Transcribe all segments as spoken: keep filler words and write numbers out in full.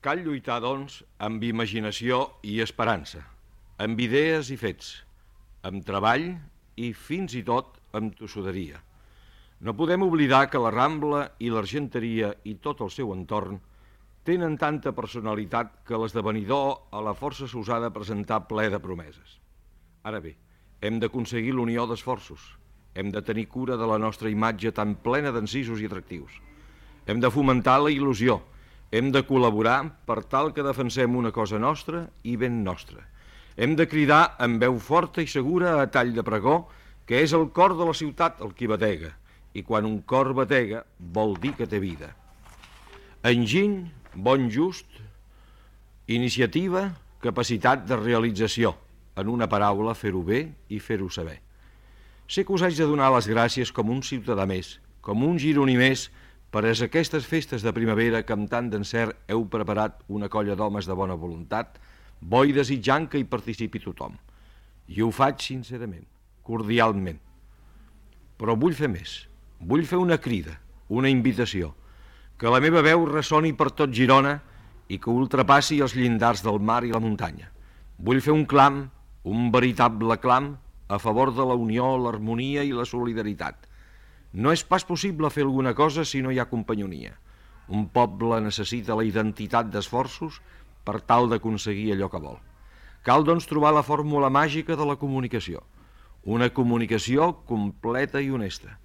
Cal lluitar, doncs, amb imaginació i esperança, amb idees i fets, amb treball i fins i tot amb tossuderia. No podem oblidar que la Rambla i l'Argenteria i tot el seu entorn tenen tanta personalitat que l'esdevenidor a la força s'usà de presentar ple de promeses. Ara bé, hem d'aconseguir l'unió d'esforços, hem de tenir cura de la nostra imatge tan plena d'encisos i atractius, hem de fomentar la il·lusió, hem de col·laborar per tal que defensem una cosa nostra i ben nostra. Hem de cridar amb veu forta i segura a tall de pregó que és el cor de la ciutat el qui batega, i quan un cor batega vol dir que té vida. Enginy, bon just, iniciativa, capacitat de realització, en una paraula fer-ho bé i fer-ho saber. Sé que us haig de donar les gràcies com un ciutadà més, com un gironí més, per a aquestes festes de primavera que amb tant d'encert heu preparat una colla d'homes de bona voluntat, bo i desitjant que hi participi tothom. I ho faig sincerament, cordialment. Però vull fer més, vull fer una crida, una invitació, que la meva veu ressoni per tot Girona i que ultrapassi els llindars del mar i la muntanya. Vull fer un clam, un veritable clam, a favor de la unió, l'harmonia i la solidaritat. No és pas possible fer alguna cosa si no hi ha companyonia. Un poble necessita la identitat d'esforços per tal d'aconseguir allò que vol. Cal, doncs, trobar la fórmula màgica de la comunicació. Una comunicació completa i honesta.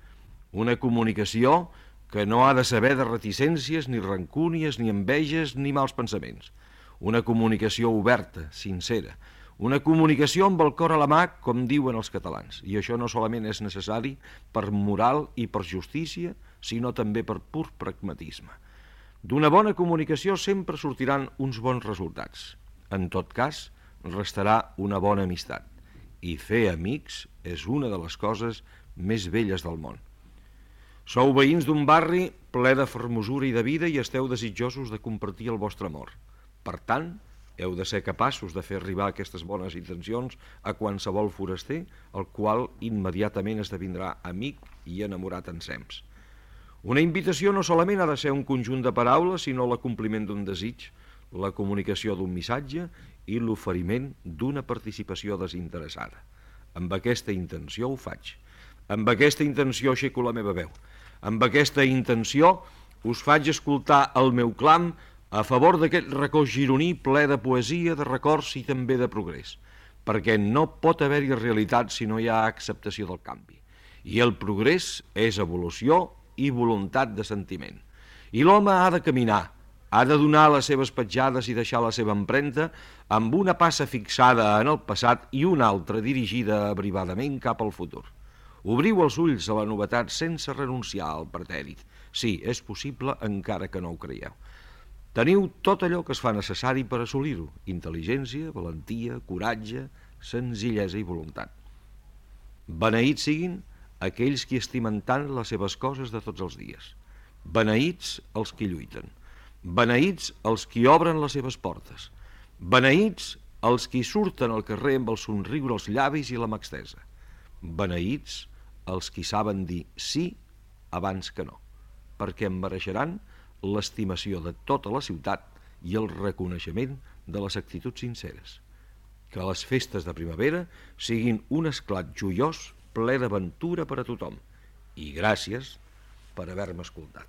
Una comunicació que no ha de saber de reticències, ni rancúnies, ni enveges, ni mals pensaments. Una comunicació oberta, sincera. Una comunicació amb el cor a la mà, com diuen els catalans. I això no solament és necessari per moral i per justícia, sinó també per pur pragmatisme. D'una bona comunicació sempre sortiran uns bons resultats. En tot cas, restarà una bona amistat. I fer amics és una de les coses més belles del món. Sou veïns d'un barri ple de fermosura i de vida i esteu desitjosos de compartir el vostre amor. Per tant, heu de ser capaços de fer arribar aquestes bones intencions a qualsevol foraster, el qual immediatament esdevindrà amic i enamorat ensems. Una invitació no solament ha de ser un conjunt de paraules, sinó l'acompliment d'un desig, la comunicació d'un missatge i l'oferiment d'una participació desinteressada. Amb aquesta intenció ho faig. Amb aquesta intenció aixeco la meva veu. Amb aquesta intenció us faig escoltar el meu clam a favor d'aquest racó gironí ple de poesia, de records i també de progrés, perquè no pot haver-hi realitat si no hi ha acceptació del canvi. I el progrés és evolució i voluntat de sentiment. I l'home ha de caminar, ha de donar les seves petjades i deixar la seva empremta amb una passa fixada en el passat i una altra dirigida abrivadament cap al futur. Obriu els ulls a la novetat sense renunciar al pretèrit. Sí, és possible encara que no ho creieu. Teniu tot allò que es fa necessari per assolir-ho: intel·ligència, valentia, coratge, senzillesa i voluntat. Beneïts siguin aquells qui estimen tant les seves coses de tots els dies. Beneïts els qui lluiten. Beneïts els qui obren les seves portes. Beneïts els qui surten al carrer amb el somriure als llavis i la mà estesa. Beneïts els qui saben dir sí abans que no, perquè em mereixeran l'estimació de tota la ciutat i el reconeixement de les actituds sinceres. Que les festes de primavera siguin un esclat joiós ple d'aventura per a tothom. I gràcies per haver-me escoltat.